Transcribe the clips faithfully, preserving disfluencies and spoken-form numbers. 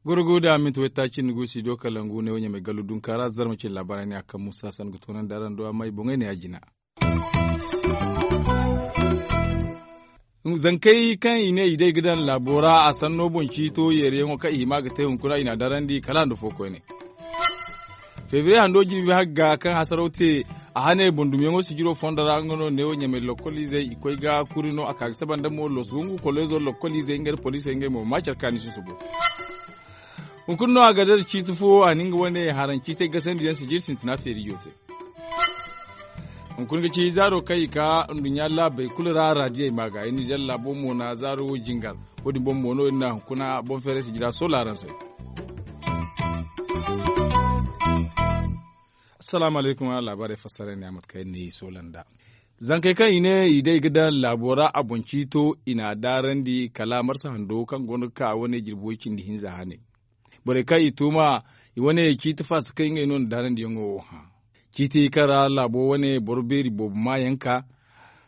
Gorogo da minti waytaaci nda gu studio kalangu ne wo ɲamay gallu dunka ra zarma cine laabaarey ne a kaŋ musa san ga toonandi araŋ do amma i boŋey ne a jina. Zankey kaŋ i ne i day ga daŋ laabo ra a sanno boŋ ciito yeeriyaŋo kaŋ i hima ga te hunkuna i n'a darandi kala nda fo koyne. Febriye hando jirbi hagga kaŋ hasaraw te a hane boŋ dumyaŋo sijiro fondo ra nga no neewo ɲamay lokkol izey i koy ga kuri no a ka ga saba nda mo losu hungu kolleezo lokkol izey ngey nda poliisey ngey mo ma care kaani susubo. Hunkuna no a ga dara ciiti fo a na nga wane haraŋ ciitey gasandi yaŋ sijiri sintina feerijo te. Hunkuna ga ci zaaro kaŋ i ka nduɲɲa laabey kulu ra radiyey ma ga i nizer laabo mo na zaaro wo jingar. Wo- din boŋ mo no iri na hunkuna boŋ feeray sijira soola araŋ se. Assalaamu alaykum araŋ laabaarey fassara ne a mate kaŋ iri na i soola nd'a. Zankey kaŋ i ne i day ga daŋ laabo ra a boŋ ciito i n'a daarandi kala marsa hando kaŋ go no ga ka wane jirbi way cindi hinza hane. Borey kaŋ i tuuma i wane ciiti faasa kaŋ ngey no na daarandiyaŋo wo hã. Ciiti kaŋ ra laabo wane boro beeri boobo maayaŋ ka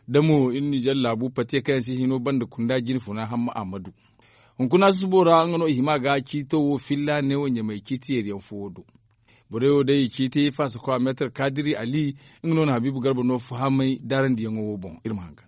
da mo iri nizer laabu patiye kaŋ yaŋ si hino banda kunda jine funa hamma a ma du. Hunkuna susubo ra nga no i hima ga ciito wo filla neewo ɲamay ciiti yeeriyaŋ fo wo do. Borey wo day ciiti faasa kwa meetar kaadiri ali nga no na habiibu garba no fahamay daarandiyaŋo wo boŋ iri ma hangan.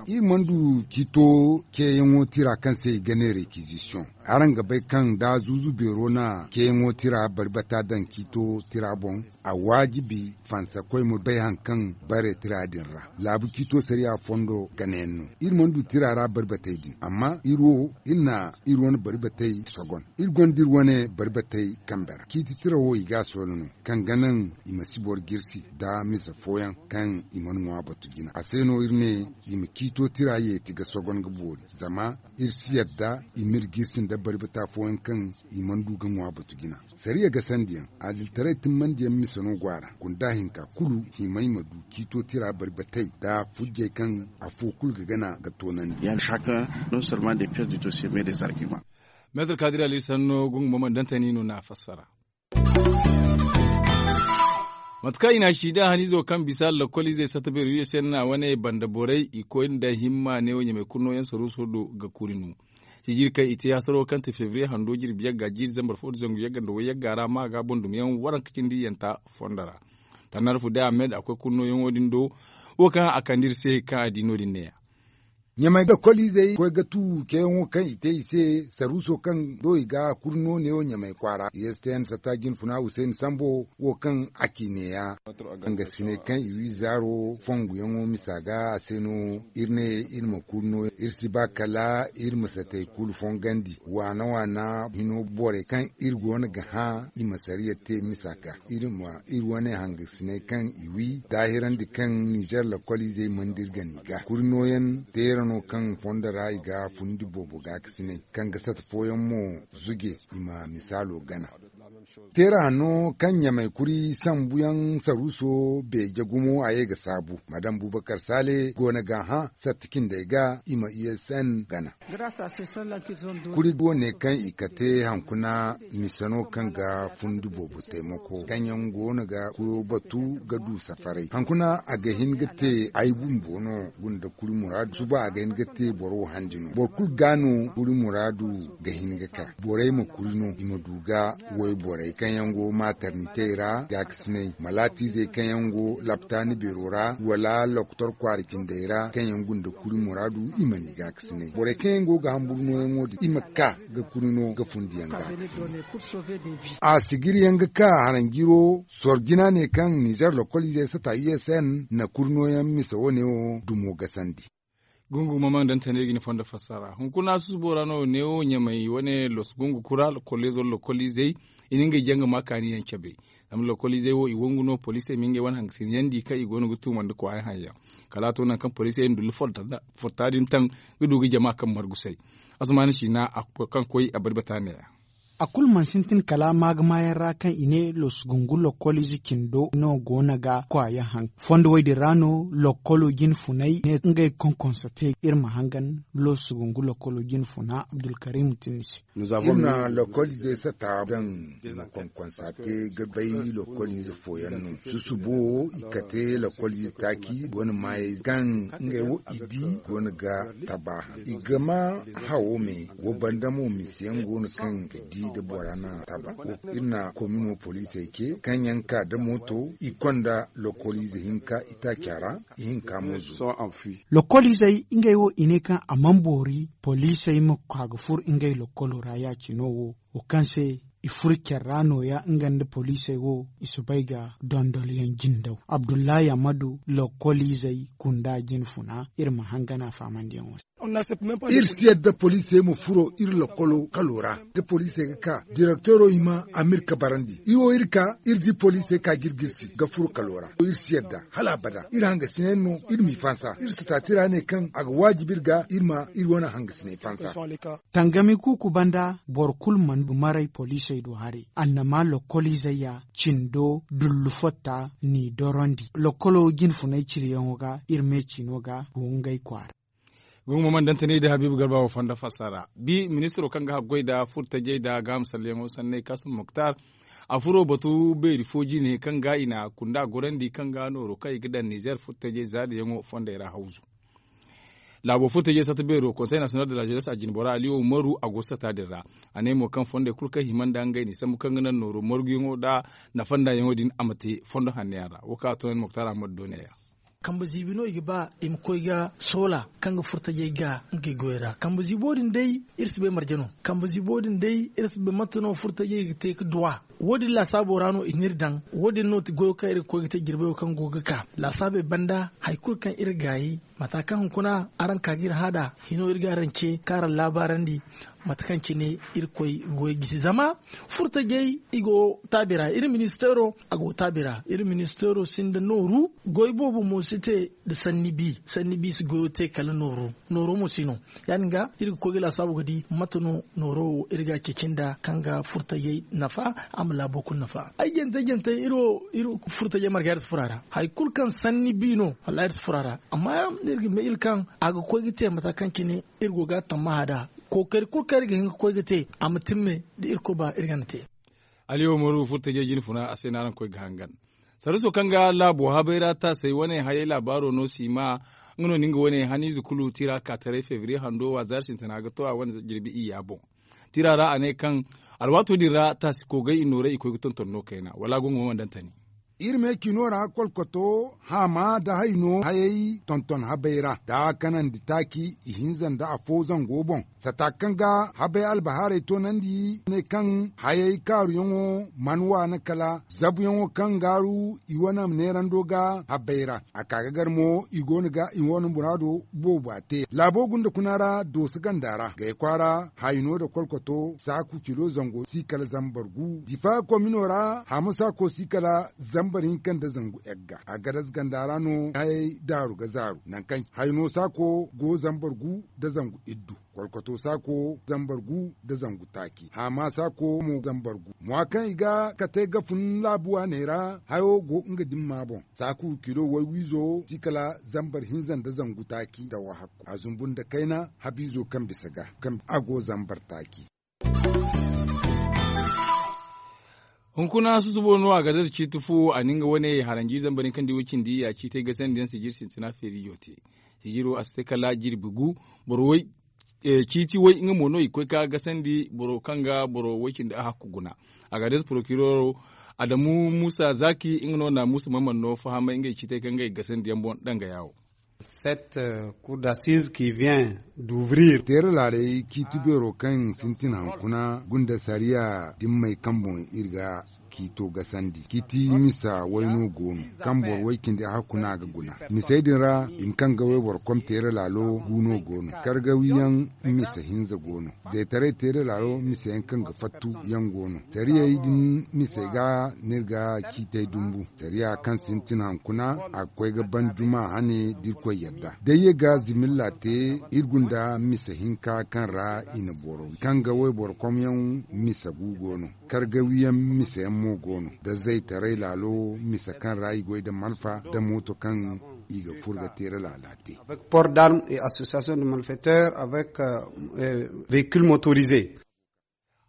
Iri mana du ciito ceeyaŋo tira kaŋ se i ga ne rekizisiyoŋ. Araŋ ga bay kaŋ da zuuzu beero na ceeyaŋo tira bari bata daŋ ciito tira boŋ a waajibi fansa koy ma bay hari kaŋ bare tira din ra. Laabu ciito sariya fondo ganayaŋ no iri mana du tira ra bari batey din amma iri wo iri na iri wane bari batey sogon. Iri gonda iri wane bari batey kambe ra ciiti tira wo i ga a soola no kaŋ ga naŋ i ma si boro jirsi nda mise fooyaŋ kaŋ i mana ŋwa batu jina a se no iri ne i ma ciito tira yeeti ga sogon ga boori. Zama iri si yadda i m'iri jirsi nda bari bata fooyaŋ kaŋ i mana du ga ŋwa batu jina. Sariya gasandiyaŋ adilitaray timmandiyaŋ mise no go a ra gunda hinka kulu himay ma du ciito tira bari batey nda fujjey kaŋ afo kulu ga gana ga toonandi. Meetar kaadiri ali sanno gungu mo mana dantani no na a fassara. Mate kaŋ i na a siida haniizo kaŋ bisa lakkol izey satta beeri u s n na wane banda borey i koy nda himma ne wo ɲamay kurno yaŋ saruuso do ga kuri no. Sijiri kaŋ i te hasaro kaŋ te febriye hando jirbi yagga jiiri zambar fo nda zangu yagga nda way yagga ra ma ga boŋ dumi yaŋ waranka cindi yanta fondo ra. Tannar fu day ahmed a koy kurno yaŋo din do. Wo kaŋ a kande iri se kaŋ a di no- din ne- ya. Ɲamay ga koliizey koy ga tu ceeyaŋo kaŋ i te i se saruuso kaŋ do i ga kuri no neewo ɲamay kwaara i s t n satta jinfuna huseeni sambo wo kaŋ a ci neeya. Hangasiney kaŋ i wi zaaro fonguyaŋo misa ga a se no iri ne iri ma kuri no iri si ba kala iri ma satey kulu fongandi waana waana hino borey kaŋ iri go no ga hã i ma sariya te misa ga iri ma iri wane hangasiney kaŋ i wi daahirandi kaŋ nizer lakkoliizey mana dira gana i ga kuri nooyaŋ teera no kaŋ fondo ra i ga fundi boobo gaakasiney kaŋ ga sata fooyaŋ mo zuje i ma misaalo gana. Teera hanno kaŋ ɲamay kuri sambuyaŋ saruuso beeje gumo a ye ga saabu madam bubakar saale go no ga hã satta cindey ga i ma u s n gana. Kuri wo ne kaŋ i kate hankuna mise no kaŋ ga fundi boobo taymako kaŋ yaŋ go no ga kuro batu ga du safaray hankuna a ga hin ga te ay bumbo no gunda kuri muraadu suba a ga hin ga te boro wo handi no boro kulu ga no kuri muraadu ga hin ga ka borey ma kuri no i ma du ga woy borey kaŋ yaŋ go matarnitey ra gaakasiney malaatiizey kaŋ yaŋ go laptaani beero ra wala lokotor kwaara cindey ra kaŋ yaŋ gunda kuri muraadu i mana i gaakasiney borey kaŋ yaŋ go ga hamburu nooyaŋo din i ma ka ga kuri no ga fundiyaŋ gaakasiney. A sigiriyaŋ ga ka haranjiro sorjina ne kaŋ nizer lokoliizey sata u s n na kuri nooyaŋ mise wane wo dumo gasandi. Gungu mamaŋ dantane ga ni fondo fassara hunkuna susubo ra no neewo ɲamay wane los gungu kura kolleezo lokoliizey i na ngey janga ma kaaniyaŋ cabe. Zama lokoliizey wo i wangu no poliisey ma ngey wane hangasinayandi kaŋ i go no ga tuumandi kwaaya haŋ yaŋ kala a to nangu kaŋ poliisey na dullu forta din taŋ ga du ga jama kaŋ margusay. Asamaana siina kaŋ koy a bari bata neeya. A kulu mana sintin kala maagamayaŋ ra kaŋ i ne loosugungu lokkoliize cindo no go no ga kwaayaŋ haŋ. Fondo wo- din ra no lokkolo jine funay ne ngey konkonsate iri ma hangan loosugungu lokkolo jine funa abdulkarim tin ni se. Iri na lokkoliizey sata daŋ i ma konkonsate ga bay lokkoliize fooyaŋ no. Susubo i kate lokkoliize taaci wane maayey kaŋ ngey wo i di go no ga taba haŋ i ga ma hawo me. Wo banda mo misiyaŋ go no kaŋ ga di da bora na taba. Iri na komino poliisey ce kaŋ yaŋ ka da mooto i konda lokkoliize hinka itaaca ra. Ihinka mo zo. Lokkoliizey ngey wo i ne kaŋ a mana boori poliisey ma ka ga fur ngey lokkolo ra ya- cino wo wo kaŋ se i furo care ra nooya nga nda poliisey wo i si bay ga dondolyaŋ jindaw abdullahi amadu lokkoliizey kunda jine funa iri ma hangan a faamandiyaŋo se. Iri si yadda poliisey ma furo iri lokkolo kalo ra da poliisey ga ka direktoro i ma amirka barandi iri wo iri ka iri di poliisey ka ga iri girsi ga furo kalo ra iri si yadda hala abada iri hangasinay no iri m'i fansa iri si taati ra ne kaŋ a ga waajibi iri ga iri ma iri wane hangasinay fansa. Tangami kuuku banda boro kulu mana maray poliisey do haray annama lokkoliizey ya cindo dullu fotta n'i dorandi lokkolo jine funay ciriyaŋo ga iri me ciino ga go ngey kwaara. Gungu mo mana dantanay da habiibu garba wo fondo fassara bi ministiro kaŋ ga haggoy nda furtajey nda gaama salleyaŋo sanney kaasum muktar. A furo batu beeri fo jine kaŋ ga i na kunda gorandi kaŋ ga nooro kaŋ i ga daŋ nizeer furtajey zaadiyaŋo fondey ra hawzu. Laabo furtajey sata beero konsey nasiyonal de la zenes a jinbora aliyo umaru a go sata din ra. A ne mo kaŋ fondey kulu kaŋ hima nda ngey n'i sambu kaŋ ga naŋ nooro marguyaŋo nda nafa nda yaŋo din a ma te fondo hanno yaŋ ra wo kaŋ a to no ni muktar ahmad do neeya. Kambe ziibi no i ga ba i ma koy ga soola kaŋ ga furtajey ga ngey goyey ra kambe ziibo din day iri si bay marje no. Kambe ziibo din day iri si bay mate no furtajey ga te ga duwa. Wo- din laasaabo ra no i n'iri daŋ. Wo- din no ti goyo kaŋ iri ga koy ga te jirbayo kaŋ go ga ka laasaabey banda hari kulu kaŋ iri gaayi mata kaŋ hunkuna araŋ ka ga iri hã nd'a hino iri ga araŋ ce kaŋ araŋ laabaarandi. Mate kaŋ cine irkoy ga goy gisi zama furtajey i go taabi ra iri ministeero a go taabi ra iri ministeero sinda nooru. Goy boobo mo si te nda sanni bi sanni bi si goyo te kala nooru. Nooro mo si no ya- din ga iri ga koy ga laasaabu ga di mate no nooro wo iri ga a ceeci nda kaŋ ga furtajey nafa a ma laabo kulu nafa ay jante jante iri wo iri furtajey marga iri si furo a ra hari kulu kaŋ sanni bi no wallahi iri si furo a ra. Amma iri ga may iri kaŋ a ga koy ga te mata kaŋ cine iri go ga a tammaha nd'a. Kookari kulu kaŋ iri ga hin ga koy ga te a ma timme da irkoy ba iri gana te. Aliyo maru furtajey jine funa a se no araŋ koy ga hangan sarriso kaŋ ga laabo habay ra taasay wane hayey laabaaro no si ma. Nga no na nga wane haniize kulu tira ka taray febriye hando wa zaari sintina ga to a wane jirbi iyya boŋ. Tira ra a ne kaŋ alwaato din ra taasi koogay i nooray i koy ga tonton no kayna wala gongo mana daŋ tani. Iri me cino ra kolkoto haama nda hayno hayey tonton habay ra nda kanandi taaci ihinza nda afo zango boŋ sata kaŋ ga habay albahaarey toonandi ne kaŋ hayey kaaruyaŋo mana waana kala zabuyaŋo kaŋ gaaru i wane neerando ga habay ra. A ka ga gar mo i go no ga i wane muraado boobo a te laabo gunda kuna ra dooso ganda ra gay kwaara hayno nda kolkoto saaku kilo zango si kala zambar gu difa komino ra haama saako si kala zambar hinka nda zangu egga a gadas ganda ra no hayey daaru ga zaaru nangu kaŋ hayno saako go zambar gu nda zangu iddu kolkoto saako zambar gu nda zangu taaci haama saako mo zambar gu mwa kaŋ i ga kate ga fun laabu waaney ra hayo go nga dimma boŋ saaku kilo waywiizo si kala zambar hinza nda zangu taaci nda wahakku a zumbu nda kayna habiizo kaŋ bisa ga kaŋ a go zambar taaci. Hunkuna susubo no a ga dasa ciiti fu a na nga wane haranji zambar hinka nda way cindi ya ciitay gasandiyaŋ sijir sintina feerijo te. Sijiro a si te kala jirbi gu boro way ciiti way nga mo no i ga koy ka gasandi boro kaŋ ga boro way cindi a hakku guna. A ga day porokiroro adamu musa zaki nga no na musa maman no fahamay ngey ciitay kaŋ ga i gasandi yaŋ boŋ danga yawo. Cette cour d'assises qui vient d'ouvrir teera laaray ciiti beero kaŋ sintin hankuna gunda sariya dimmey kaŋ boŋ iri ga K'i to gasandi kiti misa way no go no, kaŋ boro way cindi a hakku no a ga guna. Misey din ra i ma kaŋ ga wayboro kom teera laalo gu no go no. Kargawiyaŋ misa hinza go no. Zaytaray teera laalo misa yaŋ kaŋ ga fattu yaŋ go no. Tariyey din misey ga no iri ga ciitay dumbu. Tariya kaŋ sintin hankuna a ga koy ga ban juma hane da irkoy yadda. Day ye ga zimilla te iri gunda misa hinka kaŋ ra i na boro kaŋ ga wayboro kom yaŋ misa gu go no. Kargawiyaŋ misa yaŋ mo go no da zaytaray laalo misa kaŋ ra i goy da malfa da mooto kaŋ i ga furo ga teera laala te. Avec port d'armes et association de malfaiteurs avec véhicules motorisés.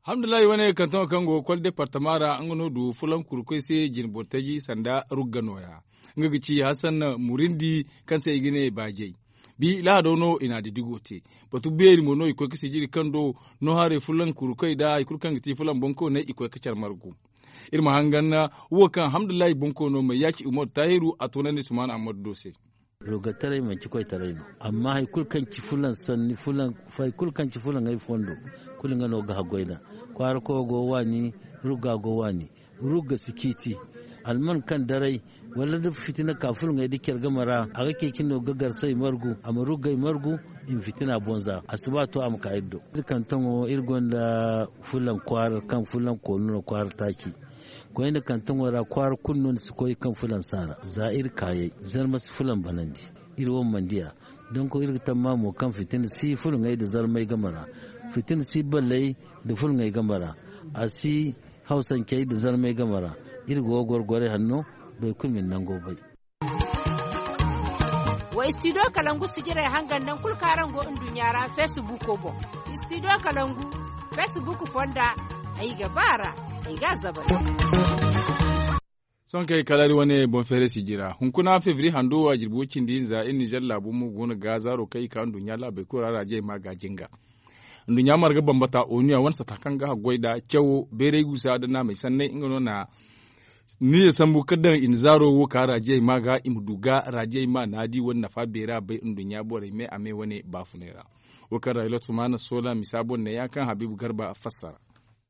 Alhamdulillahi wane kantaŋo kaŋ go ga kol departama ra nga no du fulankurkoy se jinboro taji sanda rugga nooya. Nga ga ci hasan murindi kaŋ se i ga ne baajey. Bi lahado no i na a didigo te. Batu beeri mo no i koy ga sijiri kaŋ do no haray fulankurkoy nda hari kulu kaŋ ga ti fulan bonko ne i koy ga care margu. Iri ma hangan wo kaŋ alhamdulillahi bonko no ma yaaci umaru tahiru a toonandi suman ammadu do se. Rugataray manci koytaray no. Amma hari kulu kaŋ ci fulan sanni fulan hari kulu kaŋ ci fulan ay fondo kulu nga no ga haggoy da kwaara koyo go waani. Rugga go waani. Rugga si ciiti alman kaŋ daray wala da fitina ka fulaŋey da care game ra a ga ceeci no ga garsey margu a ma ruggey margu. I ma fitina bonza a si ba to a ma ka iri do. Iri kaŋ taŋo iri gonda fulaŋ kwaara kaŋ fulaŋ koonu no kwaara taaci. Koyne kaŋ taŋo ra kwaara kulu no ni si koy kaŋ fulaŋ saara za iri kaayey. Zarma si fulaŋ banandi. Iri wo mana diya. Donko iri ga tamma mo kaŋ fitina si fulaŋey nda zarmey game ra. Fitina si balley nda fulaŋey game ra. A si hawsancey nda zarmey game ra. Iri go ga goro gorey hanno. Boro kulu ma ni nango bay. Wa istidiyo kalangu sijirey hangan nangu kulu kaŋ araŋ go nduɲɲa ra feesibuuko boŋ. Istidiyo kalangu feesibuuko fonda. Ay ga ba a ra. Ay ga a zabar. Sohõ kaŋ ay kalaari wane boŋ feeray sijira hunkuna febriye hando a jirbi way-cindi hinza iri nizer laabo mo go no ga zaaro kaŋ i ka nduɲɲa laabey kulu ra raajiyey ma ga jinga. Nduɲɲa marga bambata onu ya wane sata kaŋ ga haggoy nda cawo bayray guusa nda naamey sanney nga no na nize sambu ga daŋ i na zaaro wo ka raajiyey ma ga i ma du ga raajiyey ma naadi wane nafa beera bay nduɲɲa borey me a me wane baafunay ra. Wo kaŋ ra ilot ma na soola misa boŋ ne ya kaŋ habiibu garba fassara.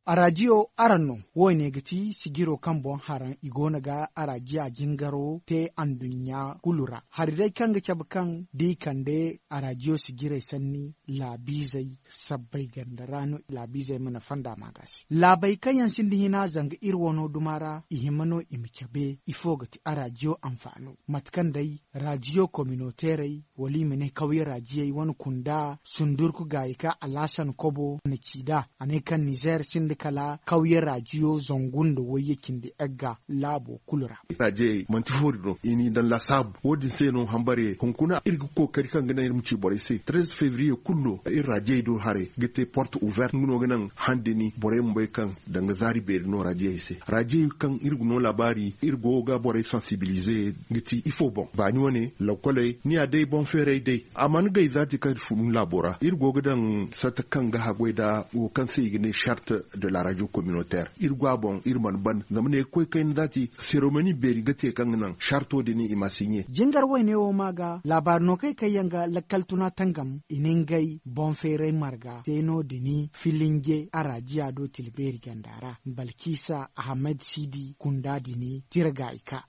Araadiyo araŋ no. Wo- ne ga ti sijiro kaŋ boŋ haraŋ i go no ga araadiya jingaro te anduɲɲa kulu ra hari day kaŋ ga cabe kaŋ da i kande araadiyo sijirey sanni laabiizey sabbay ganda ra no laabiizey mana fonda ma ga se laabey kaŋ yaŋ sinda hina zanga iri wano duma ra i hima no i ma cabe ifo ga ti araadiyo anfaano mate kaŋ day raadiyo kominoteerey wala i ma ne kawye raajiyey wane kunda sundurku gaayi kaŋ alhasan kobo na ci nd'a a ne kaŋ nizeer sinda kala kawye raadiyo zangu nda wayye cindi egga laabo kulu ra. Raajiyey manti foori no i n'i daŋ laasaabu wo- din se no hambare hunkuna iri ga kookari kaŋ ga naŋ iri ma ci borey se treize febriye kulu no iri raajiyey do haray ga te porte ouverte nga no ga naŋ handi ni borey ma bay kaŋ danga zaari beeri no raajiyey se. Raajiyey kaŋ iri ga no laabaari iri go ga borey sansibilize ga ti ifo boŋ baani wane lakoley ni ya day boŋ feeray day a mana gay zaati kaŋ iri funu laabo ra iri go ga daŋ sata kaŋ ga haggoy nda wo kaŋ se i ga ne charte de la radio communautaire iri go a boŋ iri mana ban zama ne ga koy kayna zaati seremoni beeri ga te kaŋ ga naŋ charto din i ma siɲe. Jingar wayne wo ma ga laabaari no kay kaŋ yaŋ ga lakkal tuna tangam i na ngey boŋ feeray marga te no- din filinje araadiya do tilbeeri ganda ra balkisa ahamed sidi kunda din tira ga i ka.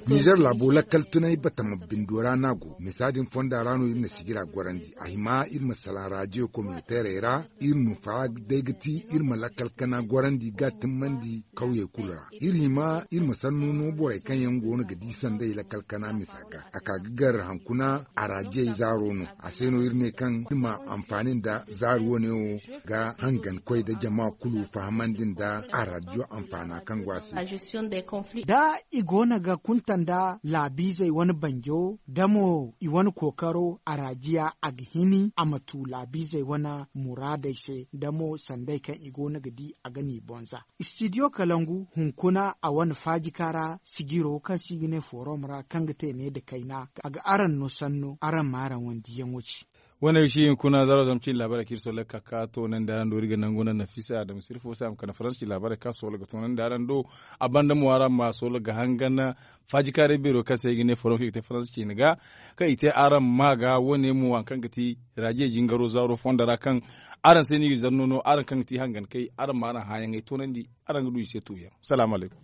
Nizer laabo lakkal tunay batama bindo ra no a go misa din fonda ra no iri na sijira gorandi a hima iri ma salaŋ raadiyo kominoteerey ra iri ma fa day ga ti iri ma lakkal kana gorandi ga timmandi kawyey kulu ra iri hima iri ma sannu no borey kaŋ yaŋ go no ga di sanday lakkal kana misa ga a ka ga gar hankuna araadiyey zaaro no a se no iri ne kaŋ iri ma anfaani nda zaari wane wo ga hangan koy nda jama kulu fahamandi nda araadiyo anfaana kaŋ go a se. Da i go no ga kunta nda laabiizey wane banjo da mo i wane kookaro araadiya a ga hini a ma tu laabiizey wane muraadey se da mo sanday kaŋ i go no ga di a ga n'i boŋ za. Istidiyo kalangu hunkuna a wane faajika ra sijiro kaŋ se i ga ne forom ra kaŋ ga te ne nda kayna a ga araŋ no sanno araŋ ma araŋ wane diyaŋo ci. Wane ga si hunkuna zaaro zama cine laabaarey kaŋ iri soola ga ka ka toonandi araŋ do iri ga nangu naŋ nafisa adama sirfo se a ma kande faransi cine laabaarey kaŋ soola ga toonandi araŋ do. A banda mo araŋ ma soola ga hangan faajikaaray beero kaŋ se ay ga ne forom kaŋ i ga te faransi cine ga kaŋ i te araŋ ma ga wane mo hari kaŋ ga ti raajiyey jingaro zaaro fondo ra kaŋ Araŋ se no i ga zanno no araŋ kaŋ ga ti hangankey araŋ ma araŋ hãayaŋey toonandi. Araŋ ga du i se tuuyaŋ. Salaamu alaykum.